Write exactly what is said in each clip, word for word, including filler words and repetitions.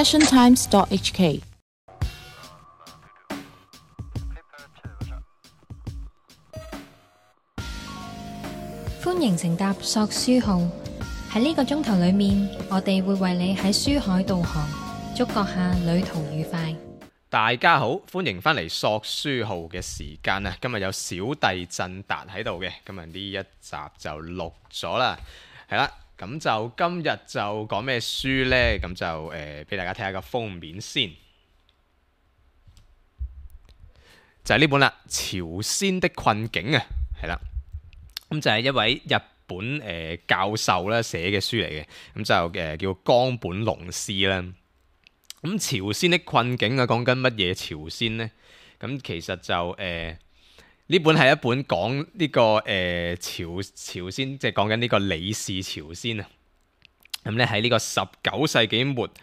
passion times dot h k。歡迎乘搭索書號，喺呢個鐘頭裏面，我哋會為你喺書海導航，祝閣下旅途愉快。大家好，歡迎返嚟索書號嘅時間啊！今日有小弟振達喺度嘅，今日呢一集就錄咗啦，係啦，咁就今日就講咩書呢？咁就誒俾、呃、大家睇下個封面先，就係、是、呢本啦，《朝鮮的困境》啊，係啦。咁就係一位日本誒、呃、教授咧寫嘅書嚟嘅，咁就誒、呃、叫岡本龍司啦。咁朝鮮的困境啊，講緊乜嘢朝鮮呢？咁其實就誒呢、呃、本係一本講呢、這個誒、呃、朝朝鮮，即係講緊呢個李氏朝鮮啊。咁咧喺呢個十九世紀末誒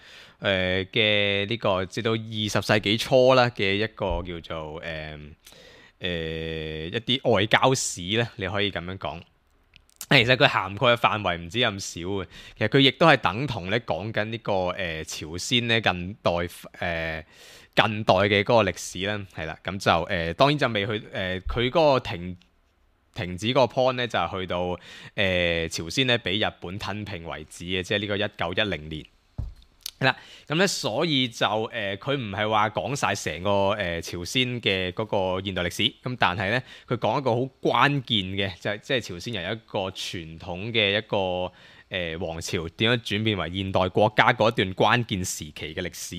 嘅呢個至到二十世紀初啦嘅一個叫做誒。呃誒、呃、一啲外交史咧，你可以咁樣講。其實佢涵蓋嘅範圍唔止咁少嘅，其實佢亦都係等同咧講緊呢個誒、呃、朝鮮咧近代誒、呃、近代嘅嗰個歷史啦，係啦。咁就誒、呃、當然就未去誒佢嗰個停停止個 point 咧，就係去到誒、呃、朝鮮咧俾日本吞併為止嘅，即係呢個一九一零年。係啦，咁咧所以就誒佢唔係話講晒成個誒、呃、朝鮮嘅嗰個現代歷史，咁但係咧佢講一個好關鍵嘅，就係即係朝鮮由一個傳統嘅一個誒、呃、王朝點樣轉變為現代國家嗰一段關鍵時期嘅歷史。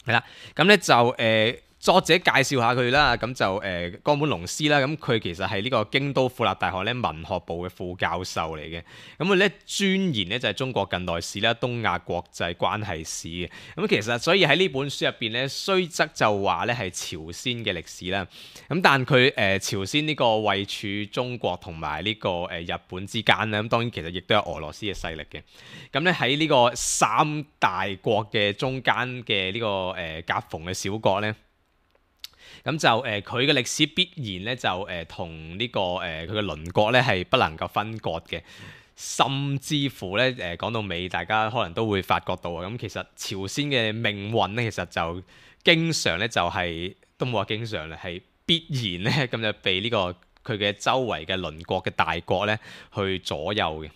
係啦，咁咧就誒。呃作者介紹下佢啦，咁就誒岡本龍司啦，咁佢其實係呢個京都府立大學咧文學部嘅副教授嚟嘅，咁佢咧專研咧就係中國近代史啦、東亞國際關係史嘅，咁其實所以喺呢本書入邊咧，雖則就話咧係朝鮮嘅歷史啦，咁但佢誒、呃、朝鮮呢個位處中國同埋呢個誒日本之間咧，咁當然其實亦都有俄羅斯嘅勢力嘅，咁咧喺呢個三大國嘅中間嘅呢個誒夾縫嘅小國咧。咁就誒佢嘅歷史必然咧就誒同呢個誒佢嘅鄰國咧係不能夠分割嘅，甚至乎咧誒講到尾，大家可能都會發覺到啊，咁其實朝鮮嘅命運咧，其實就經常咧就係、是、都冇話經常咧，係必然咧咁就被呢、這個佢嘅周圍嘅鄰國嘅大國咧去左右嘅。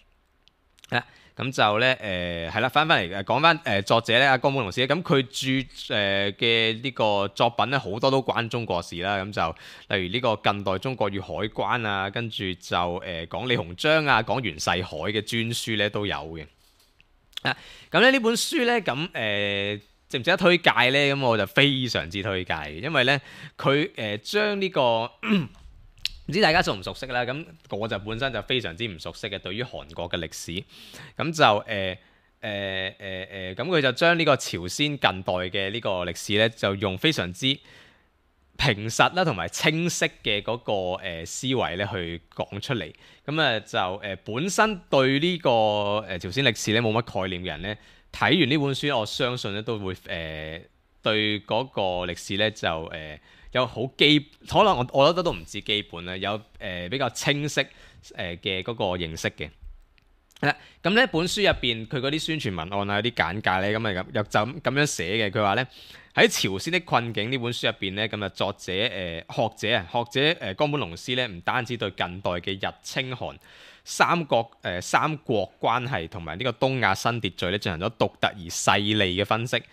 啊咁就咧誒係啦，翻翻嚟誒講翻誒作者咧，阿岡本龍司咧，咁佢著誒嘅呢個作品咧，好多都關中國事啦。咁就例如呢個近代中國與海關啊，跟住就誒、呃、講李鴻章啊，講袁世凱嘅專書咧都有嘅。啊，咁咧呢本書咧，咁、呃、誒值唔值得推介咧？咁我就非常之推介嘅，因為咧佢誒將呢個。唔知大家熟唔熟悉啦，咁我就本身就非常之唔熟悉嘅，對於韓國嘅歷史，咁就誒誒誒誒，咁佢就將呢個朝鮮近代嘅呢個歷史咧，就用非常之平實啦同埋清晰嘅嗰個誒思維咧去講出嚟，咁啊就誒本身對呢個誒朝鮮歷史咧冇乜概念嘅人咧，睇完呢本書，我相信咧都會誒對嗰個歷史咧就誒。有好基，可能我我覺得都唔止基本啦，有誒、呃、比較清晰誒嘅嗰個認識嘅。係啦，咁呢本書入邊佢嗰啲宣傳文案啊、啲簡介咧，咁啊又就咁樣寫嘅。佢話咧喺朝鮮的困境呢本書入邊咧，咁啊作者誒、呃、學者啊學者誒岡本龍司咧，唔單止對近代嘅日清韓三國誒、呃、三國關係同埋呢個東亞新秩序咧進行咗獨特而細膩嘅分析。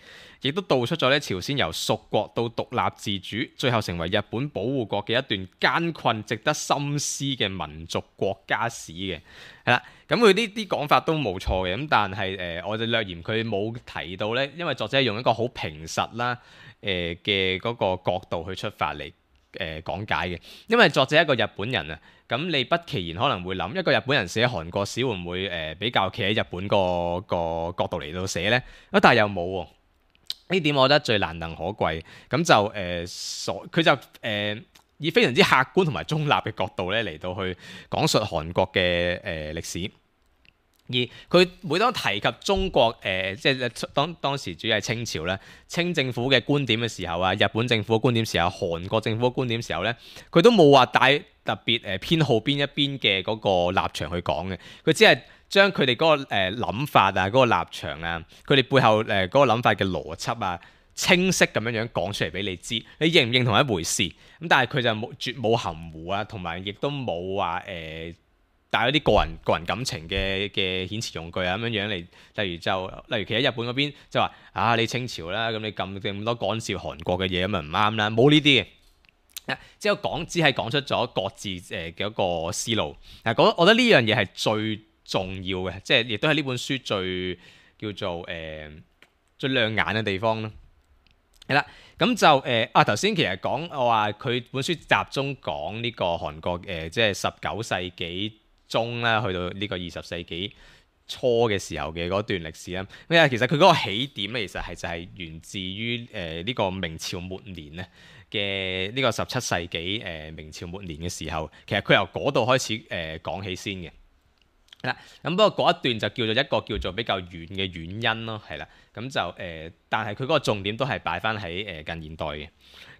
亦都道出咗咧朝鮮由屬國到獨立自主，最後成為日本保護國嘅一段艱困、值得深思嘅民族國家史嘅，係啦。咁佢呢啲講法都冇錯嘅，咁但係誒、呃，我就略嫌佢冇提到咧，因為作者係用一個好平實啦誒嘅嗰個角度去出發嚟誒、呃、講解嘅。因為作者係一個日本人啊，咁你不其然可能會諗一個日本人寫韓國史會唔會誒、呃、比較企喺日本個個角度嚟到寫咧？啊，但係又冇喎。呢點我覺得最難能可貴，咁就誒所佢就誒、呃、以非常之客觀同埋中立嘅角度咧嚟到去講述韓國嘅誒、呃、歷史，而佢每當提及中國誒、呃、即係當當時主要係清朝咧，清政府嘅觀點嘅時候啊，日本政府嘅觀點時候，韓國政府嘅觀點時候咧，佢都冇話帶特別誒偏好邊一邊嘅嗰個立場去講嘅，佢只係將佢哋嗰個誒諗法啊、嗰、嗰個立場啊、佢哋背後誒嗰個諗法嘅邏輯啊，清晰咁樣樣講出嚟俾你知，你認唔認同一回事？咁但係佢就冇絕冇含糊啊，同埋亦都冇話誒帶一啲個人個人感情嘅嘅遣詞用句啊咁樣樣嚟，例如就例如其實日本嗰邊就話啊你清朝啦，咁你咁咁多干涉韓國嘅嘢咁咪唔啱啦，冇呢啲嘅。只有講，只係講出咗各自誒嘅一個思路。嗱，我覺得呢樣嘢係最重要嘅，即係亦都係呢本書最叫做誒、呃、最亮眼嘅地方咯。係啦，咁就誒、呃、啊頭先其實講我話佢本書集中講呢個韓國誒、呃，即係十九世紀中啦，去到呢個二十世紀初嘅時候嘅嗰段歷史啦。咁啊，其實佢嗰個起點咧，其實係就係源自於誒呢個明朝末年咧。嘅呢個十七世紀誒、呃、明朝末年嘅時候，其實佢由嗰度開始誒、呃、講起先嘅。係啦，咁不過嗰一段就叫做一個叫做比較遠嘅原因咯，係啦，咁就誒、呃，但係佢嗰個重點都係擺翻喺誒近現代嘅。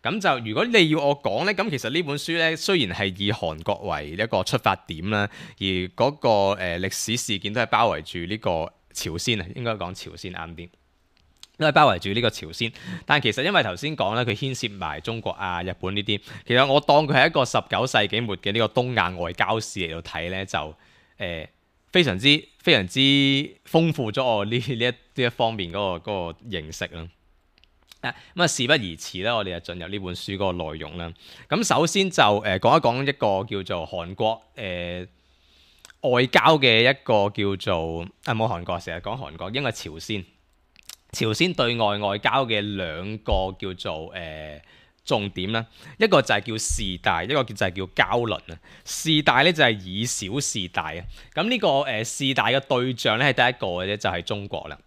咁就如果你要我講咧，咁其實呢本書咧雖然係以韓國為一個出發點啦，而嗰、那個誒、呃、歷史事件都係包圍住呢個朝鮮啊，應該講朝鮮啱啲。都係包圍住呢個朝鮮，但係其實因為頭先講咧，佢牽涉埋中國啊、日本呢啲，其實我當佢係一個十九世紀末嘅呢個東亞外交史嚟到睇咧，就誒、呃、非常之非常之豐富咗我呢呢一呢一方面嗰、嗰個嗰個認識啦。啊咁啊，事不宜遲啦，我哋就進入呢本書嗰個內容啦。咁首先就誒、呃、講一講一個叫做韓國誒、呃、外交嘅一個叫做啊冇韓國，成日講韓國，應該係朝鮮。朝鮮對外外交嘅兩個叫做誒、呃、重點啦，一個就係叫事大，一個就係叫交鄰啊。事大咧就係以小事大啊。咁呢、這個誒、呃、事大嘅對象咧係第一個嘅啫，就係、是、中國啦。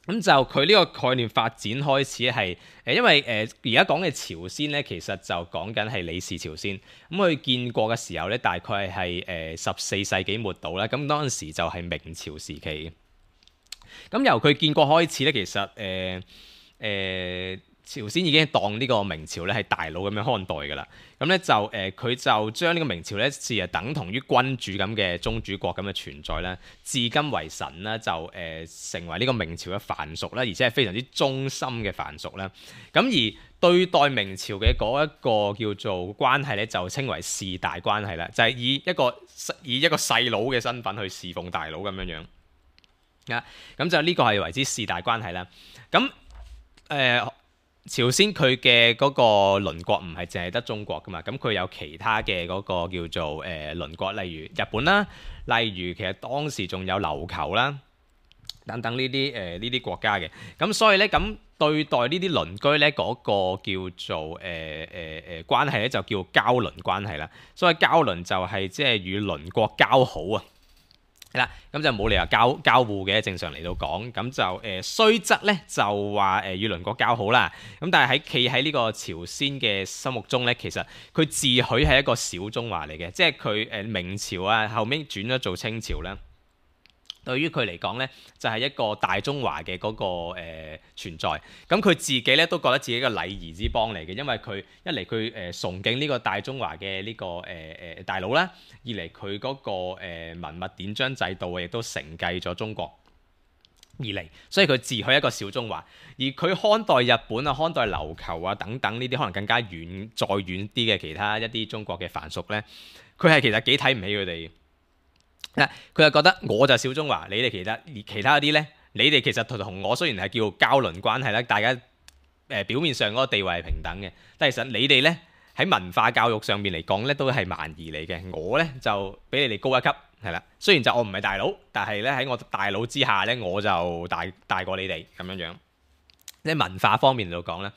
咁就佢呢個概念發展開始係誒、呃，因為誒而家講嘅朝鮮咧，其實就講緊係李氏朝鮮。咁佢建國嘅時候咧，大概係誒十四世紀末度啦。咁當時就係明朝時期嘅。咁由佢建國開始咧，其實誒誒、呃呃、朝鮮已經當呢個明朝咧係大佬咁樣看待㗎啦。咁咧就誒佢、呃、就將呢個明朝咧視為等同於君主咁嘅宗主國咁嘅存在啦，至今為神啦，就誒、呃、成為呢個明朝嘅藩屬啦，而且係非常之忠心嘅藩屬啦。咁而對待明朝嘅嗰一個叫做關係咧，就稱為事大關係啦，就係、是、以一個以一個細佬嘅身份去侍奉大佬咁樣樣。啊，咁就呢個係為之事大關係啦。咁誒、呃，朝鮮佢嘅嗰個鄰國唔係淨係得中國噶嘛，咁佢有其他嘅嗰個叫做誒鄰國，例如日本啦，例如其實當時仲有琉球啦，等等呢啲誒呢啲國家嘅。咁所以咧，咁對待呢啲鄰居咧，嗰、那個叫做誒誒誒關係咧，就叫交鄰關係啦。所謂交鄰就係即係與鄰國交好啊。係啦，咁就冇理由交交互嘅，正常嚟到講，咁就誒雖則咧就話誒與鄰國交好啦，咁但係喺企喺呢個朝鮮嘅心目中咧，其實佢自詡係一個小中華嚟嘅，即係佢誒明朝啊後尾轉咗做清朝啦。對於佢嚟講咧，就係、是、一個大中華嘅嗰、那個、呃、存在。咁佢自己咧都覺得自己嘅禮儀之邦嚟嘅，因為佢一嚟佢誒崇敬呢個大中華嘅呢、這個誒誒、呃、大佬啦，二嚟佢嗰個誒、呃、文物典章制度亦都承繼咗中國而嚟，所以佢自詡一個小中華。而佢看待日本啊、看待琉球啊等等呢啲可能更加遠、再遠啲嘅其他一啲中國嘅藩屬咧，佢係其實幾睇唔起佢哋。嗱，佢就覺得我就小中華，你哋其他其他啲咧，你哋其實同我雖然係叫交鄰關係啦，大家誒、呃、表面上嗰個地位係平等嘅，但係其實你哋咧喺文化教育上面嚟講咧，都係蠻夷嚟嘅。我咧就比你哋高一級，係啦。雖然就我唔係大佬，但係咧喺我大佬之下咧，我就大大過你哋咁樣樣。即係文化方面嚟到講咧，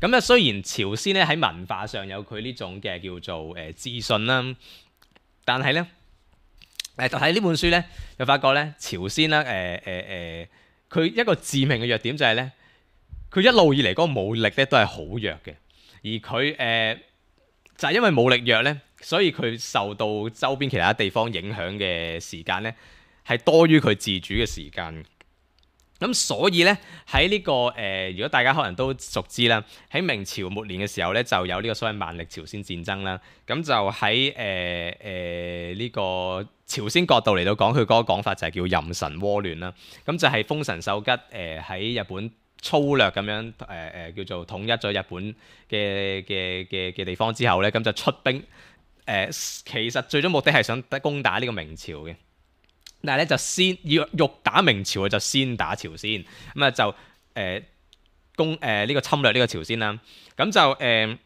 咁咧雖然朝鮮咧喺文化上有佢呢種嘅叫做誒自信啦，但係咧。誒，就睇呢本書咧，就發覺咧，朝鮮啦，誒誒誒，佢、呃、一個致命嘅弱點就係咧，佢一路以嚟嗰個武力咧都係好弱嘅，而佢誒、呃、就係、是、因為武力弱咧，所以佢受到周邊其他地方影響嘅時間咧，係多於佢自主嘅時間。咁所以咧喺呢個誒、呃，如果大家可能都熟知啦，喺明朝末年嘅時候咧，就有呢個所謂萬曆朝鮮戰爭啦。咁就喺誒誒呢個朝鮮角度嚟到講，佢嗰個講法就係叫壬辰倭亂啦。咁就係豐臣秀吉誒喺、呃、日本粗略咁樣誒誒、呃、叫做統一咗日本嘅嘅嘅嘅地方之後咧，咁就出兵誒、呃，其實最終目的係想攻打呢個明朝嘅。但係咧就先要欲打明朝，就先打朝鮮，咁啊就誒、呃、攻誒呢、呃這個侵略呢個朝鮮啦。咁就誒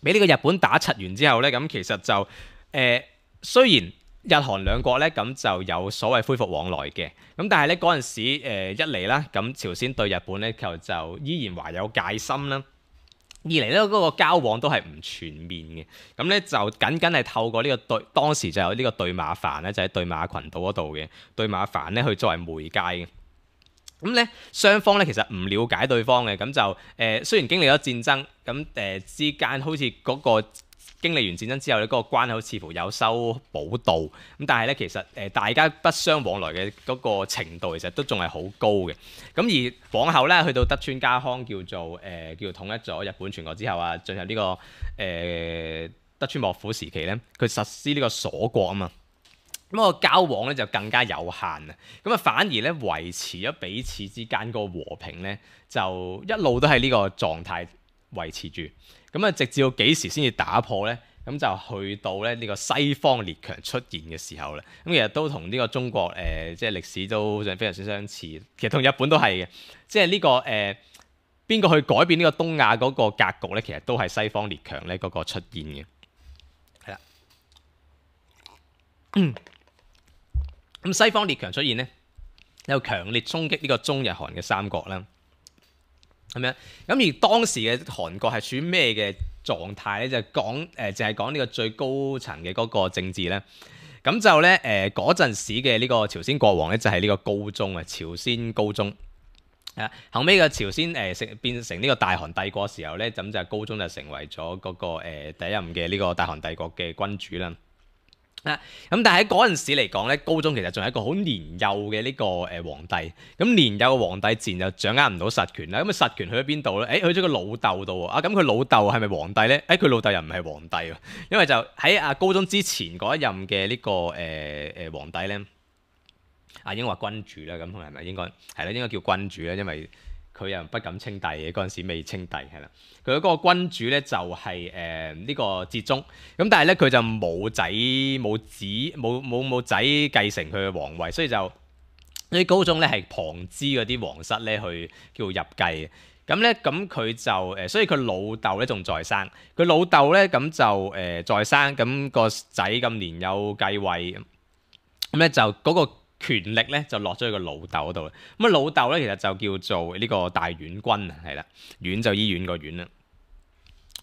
俾呢個日本打柒完之後咧，咁其實就誒、呃、雖然日韓兩國咧咁就有所謂恢復往來嘅，咁但係咧嗰陣時、呃、一嚟啦，咁朝鮮對日本咧就就依然懷有戒心啦。二嚟咧，嗰個交往都係唔全面嘅，咁咧就僅僅係透過呢個對當時就有呢個對馬帆咧，就喺對馬群島嗰度嘅對馬帆咧去作為媒介嘅。咁咧雙方咧其實唔了解對方嘅，咁就誒、呃、雖然經歷咗戰爭，咁誒、呃、之間好似嗰、嗰個經歷完戰爭之後咧，嗰、嗰個關口似乎有修補到，咁但係咧其實誒、呃、大家不相往來嘅嗰個程度其實都仲係好高嘅。咁而往後咧去到德川家康叫做誒、呃、叫做統一咗日本全國之後啊，進入呢、呢個誒、呃、德川幕府時期咧，佢實施呢個鎖國啊嘛，咁、嗰個交往咧就更加有限啊，咁啊反而咧維持咗彼此之間嗰個和平咧，就一路都係呢個狀態維持住。咁啊，直至到幾時先至打破呢？咁就去到咧呢個西方列強出現嘅時候咧。咁其實都同呢個中國誒、呃，即係歷史都非常之相似。其實同日本都係嘅，即係呢、這個誒邊個去改變呢個東亞嗰個格局咧？其實都係西方列強咧嗰個出現嘅。係啦，咁、嗯、西方列強出現咧，有強烈衝擊呢個中日韓嘅三國啦。咁樣，咁而當時嘅韓國係處於咩嘅狀態咧？就係講誒，就係講呢個最高層嘅嗰個政治咧。咁就咧誒嗰陣時嘅呢個朝鮮國王咧，就係呢個高宗啊，朝鮮高宗。啊，後尾嘅朝鮮誒成、呃、變成呢個大韓帝國嘅時候咧，咁就高宗就成為咗嗰、那個、呃、第一任嘅呢個大韓帝國嘅君主啦。啊，咁但係喺嗰陣時嚟講咧，高宗其實仲係一個好年幼嘅呢個誒皇帝。咁年幼嘅皇帝自然就掌握唔到實權啦。咁啊實權去咗邊度咧？誒去咗個老豆度喎。啊咁佢老豆係咪皇帝咧？誒佢老豆又唔係皇帝喎。因為就喺阿高宗之前嗰一任嘅呢個誒誒皇帝咧，啊應該話君主啦。咁係咪應該係啦？應該叫君主啦，因為佢又不敢稱帝嘅，嗰陣時未稱帝係啦。佢嗰個君主咧就係誒呢個哲宗，咁但係咧佢就冇仔冇子冇冇冇仔繼承佢嘅皇位，所以就呢啲高宗咧係旁支嗰啲皇室咧去叫入繼嘅。咁咧咁佢就誒，所以佢老豆咧仲在生，佢老豆咧咁就誒、呃、在生，咁、個仔咁年幼繼位，咁咧就嗰個權力咧就落咗去個老豆嗰度。咁啊老豆咧其實就叫做呢個大院君啊，係啦，院就醫院個院啦。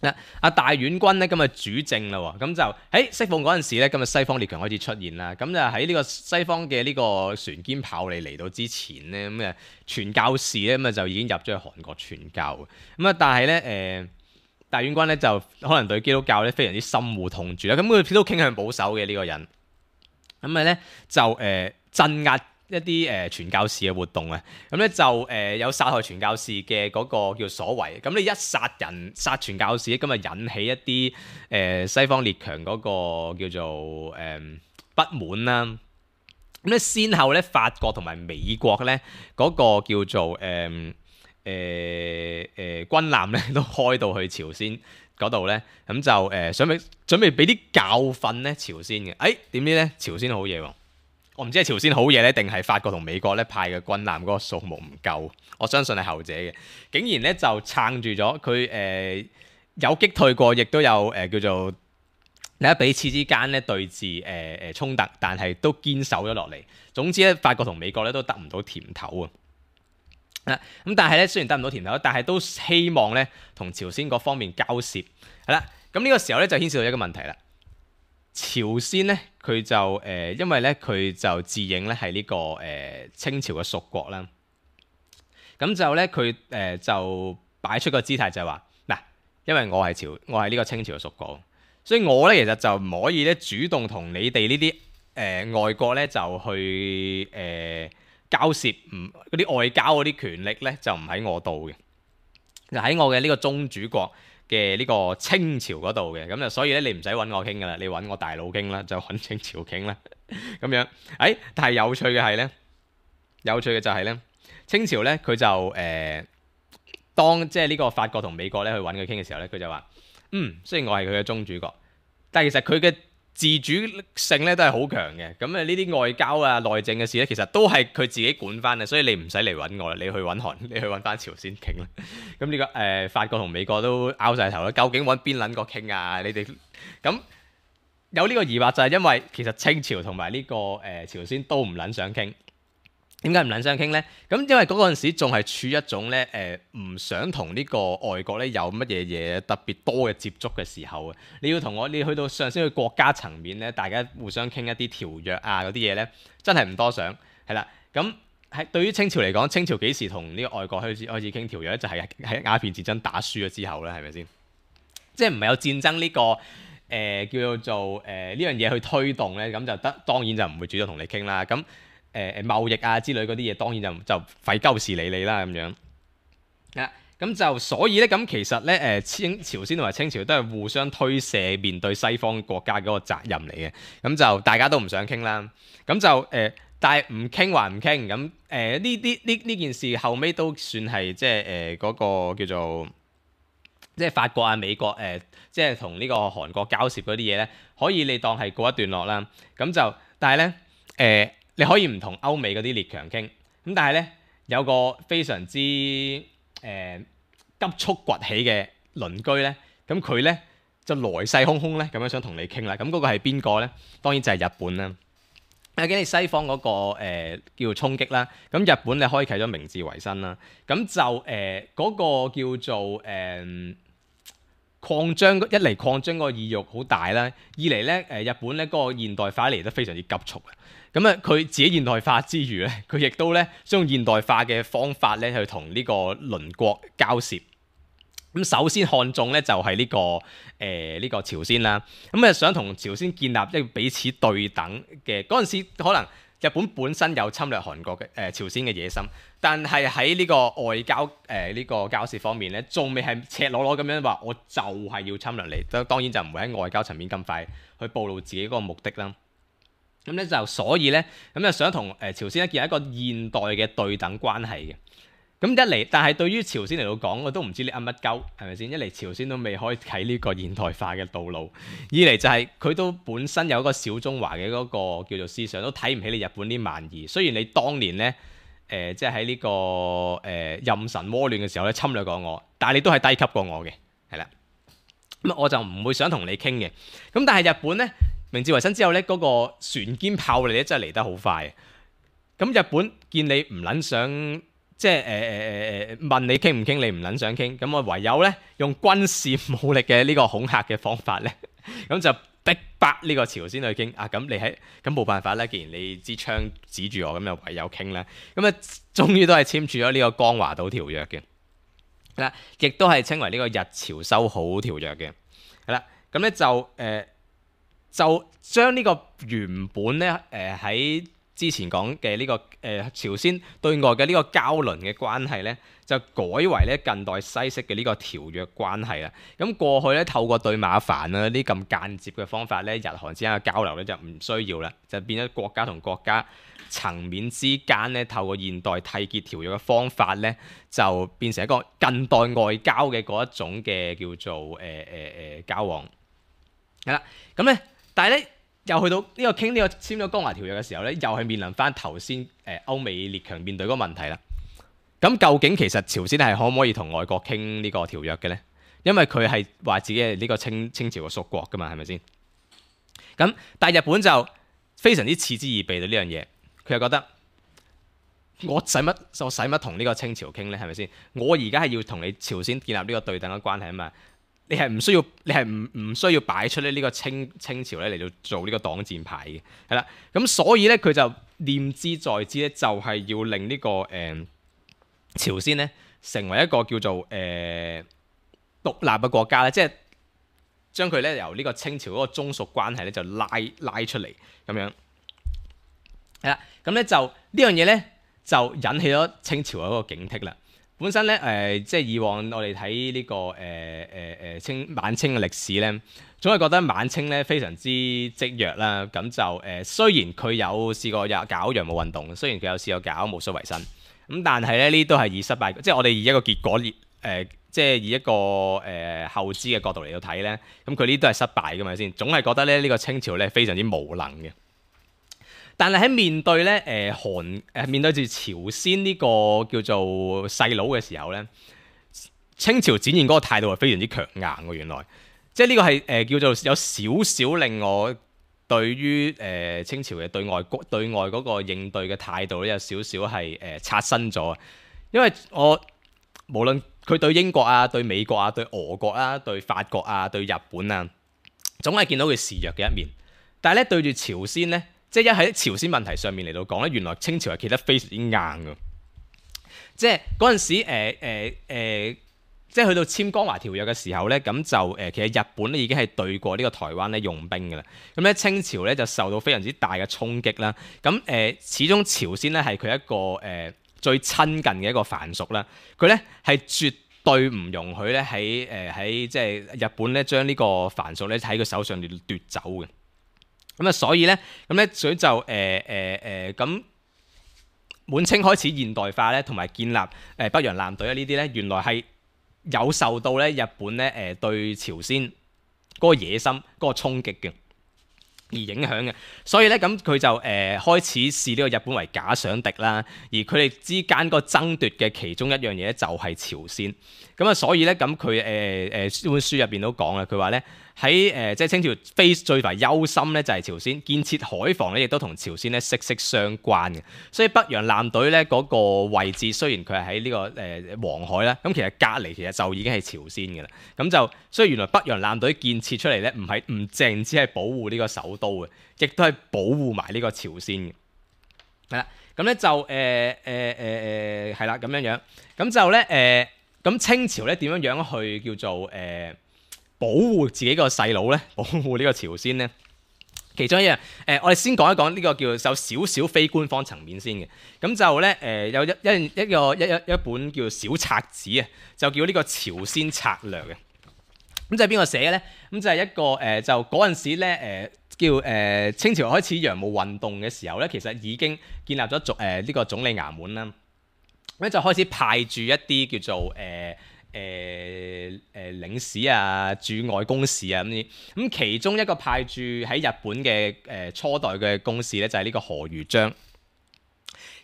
嗱，阿大院君咧咁啊主政啦，咁就喺適逢嗰陣時咧，咁啊西方列強開始出現啦。咁就喺呢個西方嘅呢個船堅炮利嚟到之前咧，咁啊傳教士咧咁啊就已經入咗去韓國傳教。咁啊，但係咧誒大院君咧就可能對基督教咧非常之深惡痛絕啦。咁佢都傾向保守嘅呢個人。咁啊咧就誒、呃、鎮壓一啲誒、呃、傳教士嘅活動啊，咁咧就誒、呃、有殺害傳教士嘅嗰個叫所為，咁你一殺人殺傳教士，咁啊引起一啲誒、呃、西方列強嗰個叫做誒、呃、不滿啦。咁咧先後咧法國同埋美國咧嗰個叫做誒誒誒軍艦咧都開到去朝鮮嗰度咧，咁就誒、呃、準備準備俾啲教訓咧朝鮮嘅，誒點知咧朝鮮好嘢喎！我唔知係朝鮮好嘢咧，定係法國同美國咧派嘅軍艦嗰個數目唔夠，我相信係後者嘅。竟然咧就撐住咗佢誒有擊退過，亦都有誒、呃、叫做喺彼此之間咧對峙誒誒衝突，但係都堅守咗落嚟。總之咧，法國同美國咧都得唔到甜頭啊！咁但係咧雖然得唔到甜頭，但係都希望咧同朝鮮嗰方面交涉係啦。咁呢個時候咧就牽涉到一個問題啦。朝鮮咧，佢就誒、呃，因為咧佢就自認咧係呢個誒、呃、清朝嘅屬國啦。咁就咧佢誒就擺出個姿態就係話嗱，因為我係朝，我係呢個清朝嘅屬國，所以我咧其實就唔可以咧主動同你哋呢啲誒外國咧就去誒、呃、交涉唔嗰啲外交嗰啲權力咧就唔喺我度嘅，就喺我嘅呢個宗主國嘅呢個清朝嗰度嘅，咁就所以咧你唔使揾我傾噶啦，你揾我大佬傾啦，就揾清朝傾啦，咁樣。誒、哎，但係有趣嘅係咧，有趣嘅就係咧，清朝咧佢就誒、呃、當即係呢個法國同美國咧去揾佢傾嘅時候咧，佢就話：嗯，雖然我係佢嘅宗主國，但係其實佢嘅自主性咧都係好強嘅，咁啊呢啲外交啊內政嘅事咧，其實都係佢自己管翻嘅，所以你唔使嚟揾我啦，你去揾韓，你去揾翻朝鮮傾啦。咁呢、這個誒、呃、法國同美國都拗晒頭啦，究竟揾邊撚個傾啊？你哋咁有呢個疑惑就係因為其實清朝同埋呢個誒、呃、朝鮮都唔撚想傾。點解唔撚想傾呢？咁因為嗰陣時仲係處於一種咧誒唔想同呢個外國咧有乜嘢嘢特別多嘅接觸嘅時候啊！你要同我，你去到上升去國家層面咧，大家互相傾一啲條約啊嗰啲嘢咧，真係唔多想係啦。咁喺對於清朝嚟講，清朝幾時同呢個外國開始開始傾條約咧？就係喺鴉片戰爭打輸咗之後咧，係咪先？即係唔係有戰爭呢、這個誒、呃、叫做誒呢樣嘢去推動咧？咁就得當然就唔會主動同你傾啦。咁誒誒貿易啊之類嗰啲嘢，當然就就費鳩事理你啦咁樣。啊，咁就所以咧，咁其實咧誒清朝鮮同埋清朝都係互相推卸面對西方國家嗰個責任嚟嘅。咁就大家都唔想傾啦。咁就誒、呃，但係唔傾還唔傾。咁誒呢啲呢呢件事後尾都算係即係誒嗰個叫做即係法國啊美國誒、呃，即係同呢個韓國交涉嗰啲嘢咧，可以你當係告一段落啦。咁就但係咧誒。呃你可以唔同歐美嗰啲列強傾，咁但係咧有個非常之誒、呃、急速崛起嘅鄰居咧，咁佢咧就來勢洶洶咧咁樣想同你傾啦。咁嗰個係邊個咧？當然就係日本啦。究竟你西方嗰、那個、呃、叫做衝擊啦，咁日本你開啟咗明治維新啦，咁就誒嗰、呃那個叫做誒、呃、擴張，一嚟擴張嗰個意欲好大啦，二嚟咧誒日本咧嗰、那個現代化嚟得非常之急速啊。咁啊，佢自己現代化之餘咧，佢亦都咧想用現代化嘅方法咧去同呢個鄰國交涉。咁首先看中咧就係呢、這個誒呢、呃這個朝鮮啦。咁啊想同朝鮮建立一個彼此對等嘅嗰陣時，可能日本本身有侵略韓國嘅誒、呃、朝鮮嘅野心，但係喺呢個外交誒呢、呃這個交涉方面咧，仲未係赤裸裸咁樣話我就係要侵略你。當然就唔會喺外交層面咁快去暴露自己嗰個目的啦。咁咧就所以咧，咁就想同誒朝鮮咧建立一個現代嘅對等關係嘅。咁一嚟，但係對於朝鮮嚟到講，我都唔知你噏乜鳩，係咪先？一嚟朝鮮都未開啓呢個現代化嘅道路，二嚟就係佢都本身有一個小中華嘅嗰個叫做思想，都睇唔起你日本啲蠻夷。雖然你當年咧誒即係喺呢個誒、呃、壬辰倭亂嘅時候咧侵略過我，但係你都係低級過我嘅，係啦。咁我就唔會想同你傾嘅。咁但係日本咧。明治維新之後咧，嗰、那個船堅炮利咧真係嚟得好快。咁日本見你唔撚想，即係誒誒誒誒問你傾唔傾，你唔撚想傾，咁我唯有咧用軍事武力嘅呢個恐嚇嘅方法咧，咁就逼迫呢個朝鮮去傾。啊，咁你喺咁冇辦法啦，既然你支槍指住我，咁就唯有傾啦。咁啊，終於都係簽署咗呢個江華島條約嘅，係啦，亦都係稱為呢個日朝修好條約嘅，係啦。咁咧就誒。呃就將呢個原本咧誒喺之前講嘅呢個誒、呃、朝鮮對外嘅呢個交鄰嘅關係咧，就改為咧近代西式嘅呢個條約關係啦。咁過去咧透過對馬藩啊啲咁間接嘅方法咧，日韓之間嘅交流咧就唔需要啦，就變咗國家同國家層面之間咧透過現代締結條約嘅方法咧，就變成一個近代外交嘅嗰一種嘅叫做誒誒誒交往係啦。咁咧。但係咧，又去到呢個傾呢個簽咗江華條約嘅時候咧，又係面臨翻頭先誒歐美列強面對嗰個問題啦。咁究竟其實朝鮮係可唔可以同外國傾呢個條約嘅咧？因為佢係話自己係呢個清清朝嘅屬國噶嘛，係咪先？咁但係日本就非常之嗤之以鼻對呢樣嘢，佢又覺得我使乜我使乜同呢個清朝傾咧？係咪先？我而家係要同你朝鮮建立呢個對等嘅關係啊嘛。你係唔需要，你係唔唔需要擺出咧呢個清清朝咧嚟到做呢個擋箭牌嘅，係啦。咁所以咧佢就念之在之咧，就係要令呢、這個誒、呃、朝鮮咧成為一個叫做誒、呃、獨立嘅國家咧，即係將佢咧由呢個清朝嗰個宗屬關係咧就拉拉出嚟咁樣，係啦。咁咧就呢樣嘢咧就引起咗清朝嗰個警惕啦。本身咧誒、呃，即係以往我哋睇呢個誒誒誒清晚清嘅歷史咧，總係覺得晚清咧非常之積弱啦。咁就誒、呃，雖然佢有試過有搞洋務運動，雖然佢有試過搞戊戌維新，咁但係咧呢都係以失敗，即係我哋以一個結果誒、呃，即係以一個誒、呃、後知嘅角度嚟到睇咧，咁佢呢都係失敗㗎嘛先，總係覺得咧呢、這個清朝咧非常之無能嘅。但係喺面對咧誒韓誒面對住朝鮮呢個叫做細佬嘅時候咧，清朝展現嗰個態度係非常之強硬喎。原來即係呢個係誒、呃、叫做有少少令我對於誒、呃、清朝嘅對外對外嗰個應對嘅態度咧有少少係誒刷新咗。因為我無論佢對英國啊、對美國啊、對俄國啊、對法國啊、對日本啊，總係見到佢示弱嘅一面。但係咧對住朝鮮咧，即係一喺朝鮮問題上面嚟到講咧，原來清朝係企得非常之硬㗎。即係嗰陣時誒誒誒，即係去到簽《江華條約》嘅時候咧，咁就誒、呃、其實日本咧已經係對過呢個台灣咧用兵㗎啦。咁咧清朝咧就受到非常之大嘅衝擊啦。咁誒、呃、始終朝鮮咧係佢一個誒、呃、最親近嘅一個藩屬啦。佢咧係絕對唔容許咧喺誒喺即係日本咧將呢個藩屬咧喺佢手上面奪走嘅。咁啊，所以咧，咁咧，所以就誒誒誒，咁、呃、滿清開始現代化咧，同埋建立誒、呃、北洋艦隊啊呢啲咧，原來係有受到咧日本咧誒、呃、對朝鮮嗰個野心嗰、嗰個衝擊嘅而影響嘅。所以咧，咁佢就誒、呃、開始視呢個日本為假想敵啦。而佢哋之間個爭奪嘅其中一樣嘢咧，就係朝鮮。咁啊，所以咧，咁佢誒誒本書入邊都講啦，佢話咧。喺誒、呃、即係清朝非最為憂心咧，就係朝鮮建設海防咧，亦都同朝鮮咧息息相關嘅。所以北洋艦隊咧嗰、那個位置，雖然佢係喺呢個誒、呃、黃海啦，咁其實隔離其實就已經係朝鮮嘅啦。咁就所以原來北洋艦隊建設出嚟咧，唔係唔淨只係保護呢個首都嘅，亦都係保護埋呢個朝鮮嘅。係啦，咁咧就誒誒誒誒係啦咁樣樣，咁就咧誒咁清朝咧點樣樣去叫做誒？呃保護自己個細佬咧，保護呢個朝鮮咧，其中一樣誒、呃，我哋先講一講呢個叫有少少非官方層面先嘅。咁就咧誒、呃、有一一一個一一一本叫小冊子啊，就叫呢個朝鮮策略嘅。咁就係邊個寫嘅咧？咁就係一個誒、呃，就嗰陣時咧誒、呃、叫誒、呃、清朝開始洋務運動嘅時候咧，其實已經建立咗總誒呢個總理衙門啦。咁就開始派駐一啲叫做誒。呃誒誒、呃呃、領事啊，駐外公使啊咁啲，咁其中一個派駐喺日本嘅誒、呃、初代嘅公使咧，就係、是、呢個何如章。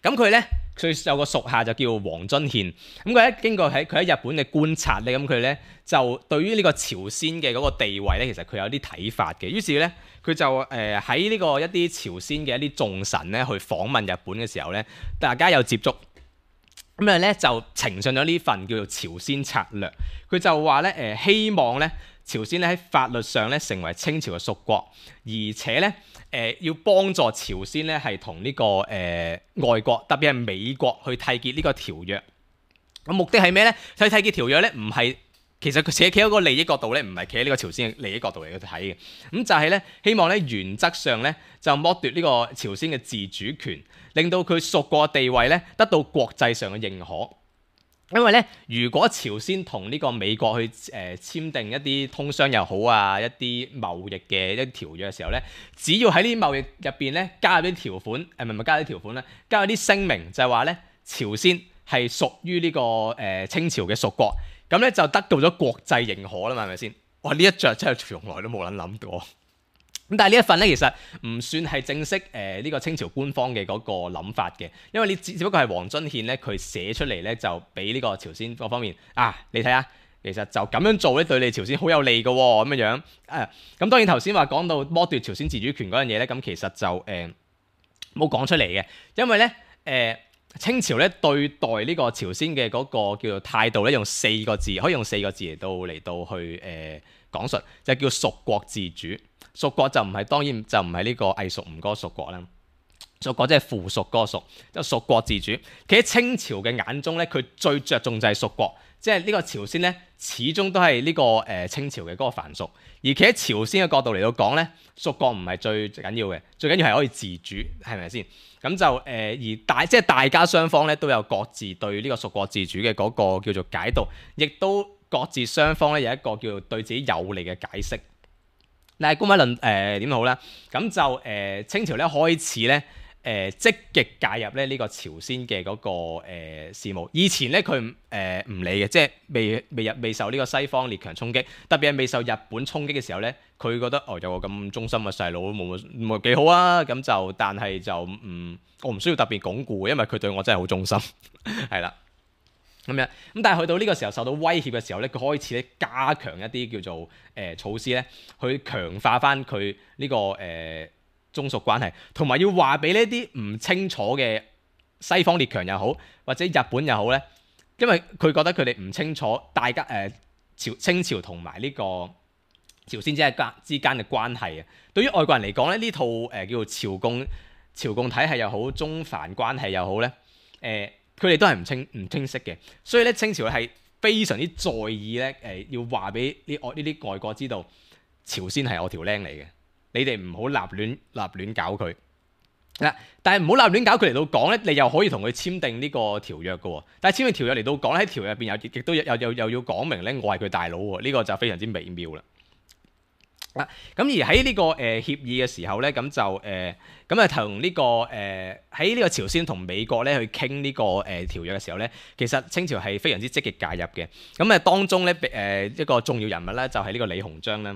咁佢咧，佢有個屬下就叫黃遵憲。咁佢咧經過喺佢喺日本嘅觀察咧，咁佢咧就對於呢個朝鮮嘅嗰個地位咧，其實佢有啲睇法嘅。於是咧，佢就誒喺呢個一啲朝鮮嘅一啲重臣咧去訪問日本嘅時候咧，大家有接觸。咁啊咧就呈上咗呢份叫做朝鮮策略，佢就話咧誒希望咧朝鮮咧喺法律上咧成為清朝嘅屬國，而且咧誒、呃、要幫助朝鮮咧係同呢個誒、呃、外國，特別係美國去締結呢個條約。咁目的係咩咧？去締結條約咧唔係。其實佢企企喺個利益角度咧，唔係企喺呢個朝鮮嘅利益角度嚟去睇嘅。咁就係咧，希望咧原則上咧就剝奪呢個朝鮮嘅自主權，令到佢屬國嘅地位咧得到國際上嘅認可。因為咧，如果朝鮮同呢個美國去誒、呃、簽訂一啲通商又好啊，一啲貿易嘅一啲條約嘅時候咧，只要喺呢啲貿易入邊咧加入啲條款，誒唔係唔係加入啲條款咧，加入啲聲明就係話咧朝鮮係屬於呢個誒、呃、清朝嘅屬國。咁咧就得到咗國際認可啦嘛，係咪先？哇！呢一著真係從來都冇撚諗過。咁但係呢一份咧，其實唔算係正式誒呢、呃這個清朝官方嘅嗰個諗法嘅，因為你只只不過係黃遵憲咧，佢寫出嚟咧就俾呢個朝鮮嗰方面啊，你睇下，其實就咁樣做咧對你朝鮮好有利嘅喎，咁樣樣啊。咁當然頭先話講到剝奪朝鮮自主權嗰樣嘢咧，咁其實就誒冇講出嚟嘅，因為咧誒。呃清朝咧對待呢個朝鮮嘅嗰個叫做態度咧，用四個字，可以用四個字嚟到嚟到去誒、呃、講述，就叫屬國自主。屬國就唔係當然就唔係呢個隸屬吳哥屬國啦，屬國即係附屬嗰個屬，即係屬國自主。其實喺清朝嘅眼中咧，佢最着重就係屬國，即係呢個朝鮮咧始終都係呢、這個誒、呃、清朝嘅嗰個藩屬。而企喺朝鮮嘅角度嚟到講咧，屬國唔係最緊要嘅，最緊要係可以自主，係咪先？咁就誒、呃、而大即係大家雙方咧都有各自對呢個屬國自主嘅嗰個叫做解讀，亦都各自雙方咧有一個叫做對自己有利嘅解釋。但係官位論誒點好咧？咁就誒、呃、清朝咧開始咧。誒、呃、積極介入咧呢個朝鮮嘅嗰、那個、呃、事務。以前咧佢誒唔理嘅，即係未未入未受呢個西方列強衝擊，特別係未受日本衝擊嘅時候咧，佢覺得哦有個咁忠心嘅細佬冇冇幾好啊，咁就但係就唔、嗯、我唔需要特別鞏固，因為佢對我真係好忠心，係啦咁樣。咁但係去到呢個時候受到威脅嘅時候咧，佢開始咧加強一啲叫做誒、呃、措施咧，去強化翻佢呢個誒。呃宗屬關係，同埋要話俾呢啲唔清楚嘅西方列強又好，或者日本又好咧，因為佢覺得佢哋唔清楚大家誒、呃、朝清朝同埋呢個朝鮮之間之間嘅關係啊。對於外國人嚟講咧，呢套誒、呃、叫做朝貢朝貢體系又好，中藩關係又好咧，誒佢哋都係唔清唔清晰嘅，所以咧清朝係非常之在意咧誒、呃，要話俾呢外呢啲外國知道，朝鮮係我條僆嚟嘅。你哋唔好立亂立亂搞佢嗱，但係唔好立亂搞佢嚟到講咧，你又可以同佢簽訂呢個條約嘅喎。但係簽訂條約嚟到講喺條約入邊有亦都有又又要講明咧，我係佢大佬喎。呢、這個就非常之微妙啦。咁、啊、而喺呢、這個誒、呃、協議嘅時候咧，咁就誒咁啊同呢個誒喺呢個朝鮮同美國咧去傾呢、這個誒、呃、條約嘅時候咧，其實清朝係非常之積極介入嘅。咁啊當中咧誒、呃、一個重要人物咧就係、是、呢個李鴻章啦。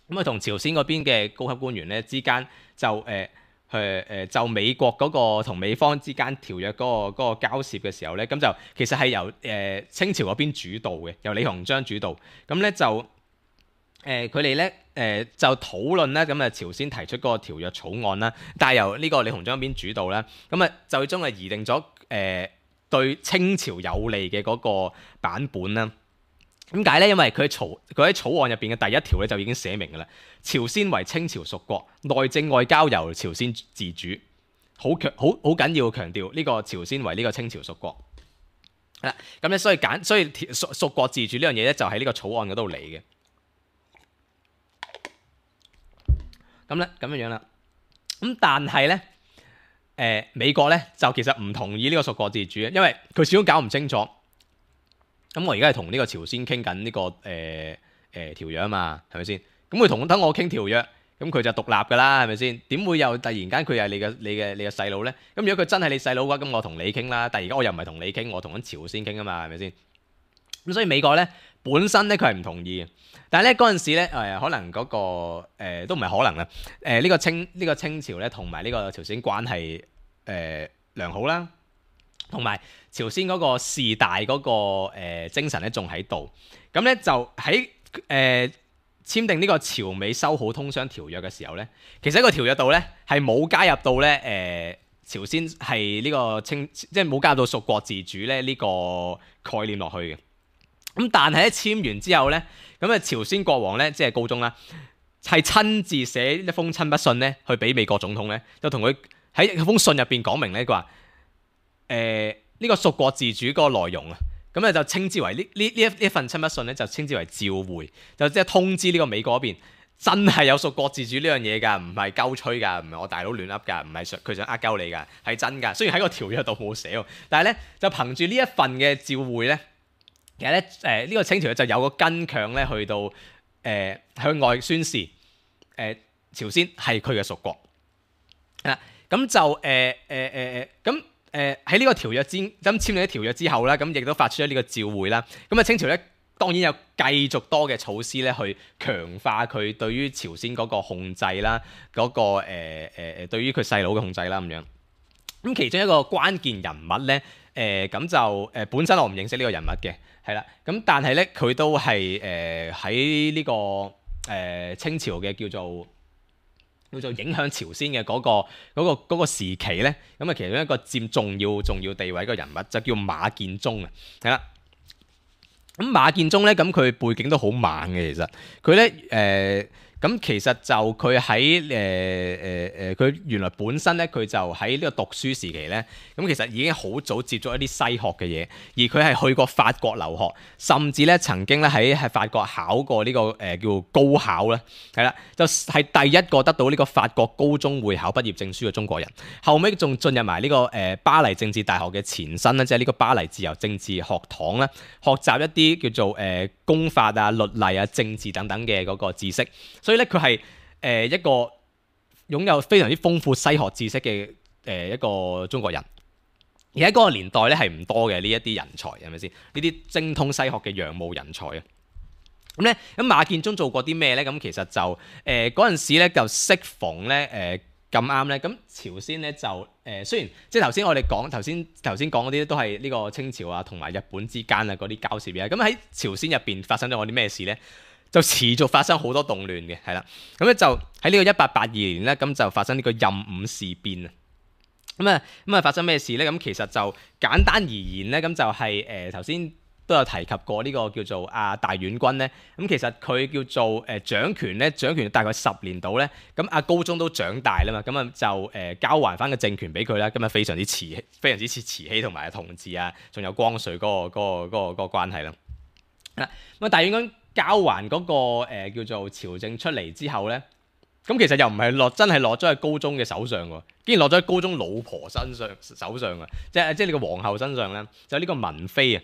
咁啊，同朝鮮嗰邊嘅高級官員咧之間就誒誒誒就美國嗰個同美方之間條約嗰、嗰個嗰個交涉嘅時候咧，咁就其實係由誒、呃、清朝嗰邊主導嘅，由李鴻章主導。咁咧就誒佢哋咧誒就討論咧，咁啊朝鮮提出嗰個條約草案啦，但係由呢個李鴻章嗰邊主導啦，咁啊就最終係擬定咗誒、呃、對清朝有利嘅嗰個版本啦。點解咧？因為佢喺草佢喺草案入邊嘅第一條咧就已經寫明㗎啦，朝鮮為清朝屬國，內政外交由朝鮮自主，好強好好緊要強調呢個朝鮮為呢個清朝屬國。係啦，咁咧所以揀所以屬屬國自主呢樣嘢咧就喺呢個草案嗰度嚟嘅。咁咧咁樣樣啦，咁但係咧誒美國咧就其實唔同意呢個屬國自主嘅，因為佢始終搞唔清楚。咁我而家係同呢個朝鮮傾緊呢個誒誒、呃呃、條約啊嘛，係咪先？咁佢同等我傾條約，咁佢就獨立㗎啦，係咪先？點會又突然間佢係你嘅你嘅你嘅細佬咧？咁如果佢真係你細佬嘅話，咁我同你傾啦。但係而家我又唔係同你傾，我同緊朝鮮傾啊嘛，係咪先？咁所以美國咧本身咧佢係唔同意嘅，但係咧嗰陣時咧誒、呃、可能嗰、那個、呃、都唔係可能啦。誒、呃、呢、這個清呢、這個清朝咧同埋呢個朝鮮關係誒、呃、良好啦。同埋朝鮮嗰個事大嗰、那個、呃、精神咧仲喺度，咁咧就喺誒、呃、簽訂呢個朝美修好通商條約嘅時候咧，其實喺個條約度咧係冇加入到咧誒朝鮮係呢個清，即係冇加入到屬國自主咧呢個概念落去嘅。咁但係咧簽完之後咧，咁啊朝鮮國王咧即係高宗啦，係親自寫一封親筆信咧去俾美國總統咧，就同佢喺封信入邊講明咧，佢話。誒呢、呃這個屬國自主嗰個內容啊，咁咧就稱之為呢呢呢一呢一份親筆信咧，就稱之為召回，就即係通知呢個美國嗰邊真係有屬國自主呢樣嘢㗎，唔係鳩吹㗎，唔係我大佬亂噏㗎，唔係想佢想呃鳩你㗎，係真㗎。雖然喺個條約度冇寫喎，但係咧就憑住呢一份嘅召回咧，其實咧誒呢個清朝就有個根強咧去到誒、呃、向外宣示誒、呃、朝鮮係佢嘅屬國啊，咁就誒誒誒誒咁。呃呃呃誒喺呢個條約之咁簽訂咗條約之後啦，咁亦都發出咗呢個召會啦。咁啊清朝咧當然有繼續多嘅措施咧，去強化佢對於朝鮮嗰個控制啦，嗰、那個誒誒誒對於佢細佬嘅控制啦咁樣。咁其中一個關鍵人物咧，誒、呃、咁就誒、呃、本身我唔認識呢個人物嘅，係啦。咁但係咧佢都係誒喺呢個誒、呃、清朝嘅叫做。叫做影響朝鮮嘅嗰、那個嗰、那個嗰、那個時期咧，咁啊其中一個佔重要重要地位嘅人物就叫馬建宗啊，係啦。咁馬建宗咧，咁佢背景都好猛嘅，其實佢咧誒咁其實就佢喺誒誒誒，佢、呃、原來本身咧，佢就喺呢個讀書時期咧，咁其實已經好早接觸一啲西學嘅嘢，而佢係去過法國留學，甚至咧曾經咧喺喺法國考過呢、這個誒、呃、叫高考咧，係啦，就係、是、第一個得到呢個法國高中會考畢業證書嘅中國人。後尾仲進入埋呢、這個誒、呃、巴黎政治大學嘅前身咧，即係呢個巴黎自由政治學堂咧，學習一啲叫做誒、呃、公法啊、律例啊、政治等等嘅嗰個知識。所以咧，佢係誒一個擁有非常之豐富西學知識嘅誒、呃、一個中國人，而喺嗰個年代咧係唔多嘅呢一啲人才，係咪先？呢啲精通西學嘅洋務人才啊！咁咧，咁馬建忠做過啲咩咧？咁其實就誒嗰陣時咧就適逢咧誒咁啱咧，咁、呃、朝鮮咧就誒、呃、雖然即係頭先我哋講頭先頭先講嗰啲都係呢個清朝啊同埋日本之間啊嗰啲交涉嘅，咁喺朝鮮入邊發生咗我啲咩事咧？就持續發生好多動亂嘅，係啦，咁咧就喺呢個一八八二年咧，咁就發生呢個壬午事變啊，咁啊咁啊發生咩事咧？咁其實就簡單而言咧，咁就係誒頭先都有提及過呢個叫做阿大院君咧，咁其實佢叫做誒掌權咧，掌權大概十年度咧，咁阿高宗都長大啦嘛，咁啊就誒交還翻個政權俾佢啦，咁啊非常之慈禧，非常之似慈禧同埋同治啊，仲有光緒嗰個嗰個嗰個嗰個關係啦，嗱咁啊大院君交還嗰、那個、呃、叫做朝政出嚟之後咧，咁其實又唔係落真係落咗喺高宗嘅手上喎，竟然落咗喺高宗老婆身上手上啊！即係即係呢個皇后身上咧，就呢個文妃啊，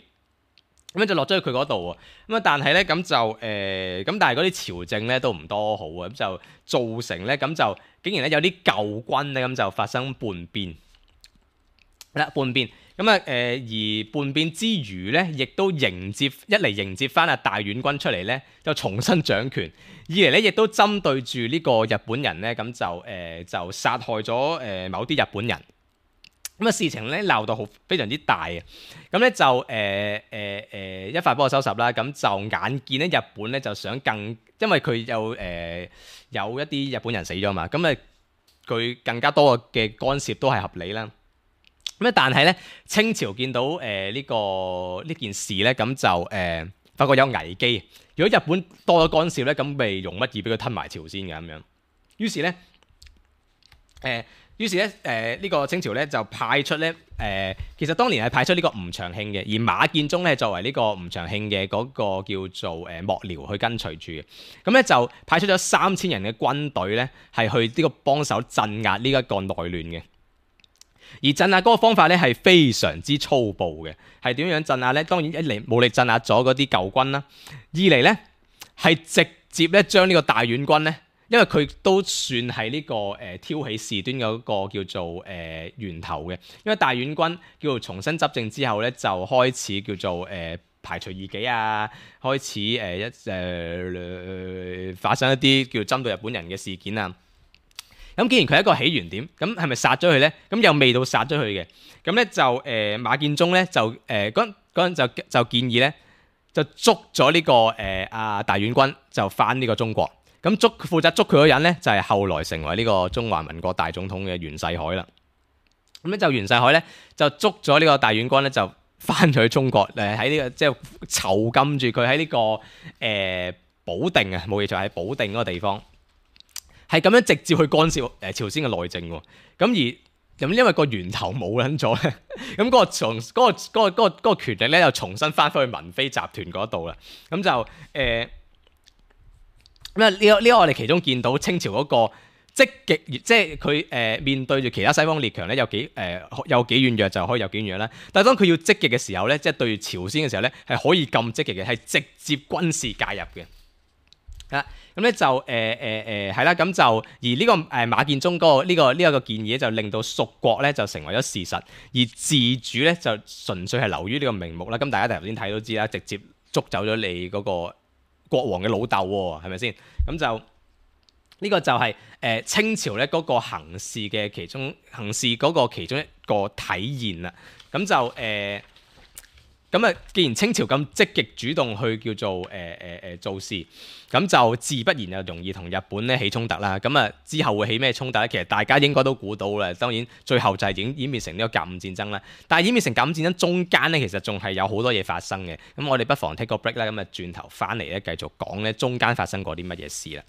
咁樣就落咗去佢嗰度喎。咁啊，但係咧咁就誒咁、呃，但係嗰啲朝政咧都唔多好啊，咁就造成咧咁就竟然咧有啲舊軍咧咁就發生叛變啦，叛變。咁啊，誒而叛變之餘咧，亦都迎接一嚟迎接翻阿大院君出嚟咧，就重新掌權；二嚟咧，亦都針對住呢個日本人咧，咁就誒、呃、就殺害咗誒、呃、某啲日本人。咁啊，事情咧鬧到好非常之大啊！咁咧就誒誒誒一發幫我收拾啦。咁就眼見咧日本咧就想更，因為佢有誒、呃、有一啲日本人死咗嘛，咁啊佢更加多嘅干涉都係合理啦。咁但係咧，清朝見到誒呢、呃這個呢件事咧，咁就誒、呃、發覺有危機。如果日本多咗干涉咧，咁咪容乜易俾佢吞埋朝鮮嘅咁樣。於是咧，誒、呃、於是咧，誒、呃、呢、這個清朝咧就派出咧，誒、呃、其實當年係派出呢個吳長慶嘅，而馬建忠咧作為呢個吳長慶嘅嗰個叫做誒幕僚去跟隨住嘅。咁咧就派出咗三千人嘅軍隊咧，係去呢個幫手鎮壓呢一個內亂嘅。而鎮壓嗰個方法咧係非常之粗暴嘅，係點樣鎮壓咧？當然一嚟武力鎮壓咗嗰啲舊軍啦，二嚟咧係直接咧將呢個大院君咧，因為佢都算係呢、這個誒、呃、挑起事端嗰個叫做誒、呃、源頭嘅，因為大院君叫做重新執政之後咧，就開始叫做誒、呃、排除異己啊，開始誒、呃、一誒、呃、發生一啲叫針對日本人嘅事件啊。咁既然佢係一個起源點，咁係咪殺咗佢咧？咁又未到殺咗佢嘅，咁咧就誒、呃、馬建忠咧就誒嗰嗰陣就就建議咧就捉咗呢、這個誒阿、呃、大院君就返呢個中國，咁捉負責捉佢嗰人咧就係、是、後來成為呢個中華民國大總統嘅袁世凱啦。咁咧就袁世凱咧就捉咗呢個大院君咧就返咗去中國誒喺呢個即係囚禁住佢喺呢個誒、呃、保定啊，冇嘢就喺保定嗰個地方。係咁樣直接去干涉誒朝鮮嘅內政喎，咁而咁因為個源頭冇撚咗咧，咁嗰個從嗰個嗰個嗰個嗰個權力咧又重新翻返去文妃集團嗰度啦，咁就誒咁啊呢個呢個我哋其中見到清朝嗰個積極，即係佢誒面對住其他西方列強咧有幾誒、呃、有幾軟弱就可以有幾軟弱啦，但係當佢要積極嘅時候咧，即係對朝鮮嘅時候咧係可以咁積極嘅，係直接軍事介入嘅。啊，咁咧就誒誒誒係啦，咁就而呢個誒馬建忠嗰個呢個呢一個建議就令到屬國咧就成為咗事實，而自主咧就純粹係流於呢個名目啦。咁大家頭先睇都知啦，直接捉走咗你嗰個國王嘅老豆喎，係咪先？咁就呢、這個就係、是、誒、呃、清朝咧嗰個行事嘅其中行事嗰個其中一個體現啦。咁就誒。呃咁啊，既然清朝咁積極主動去叫做誒誒誒做事，咁就自不然就容易同日本咧起衝突啦。咁啊，之後會起咩衝突咧？其實大家應該都估到啦。當然最後就係演演變成呢個甲午戰爭啦。但係演變成甲午戰爭中間咧，其實仲係有好多嘢發生嘅。咁我哋不妨 take 個 break 啦。咁啊，轉頭翻嚟咧，繼續講咧中間發生過啲乜嘢事啦。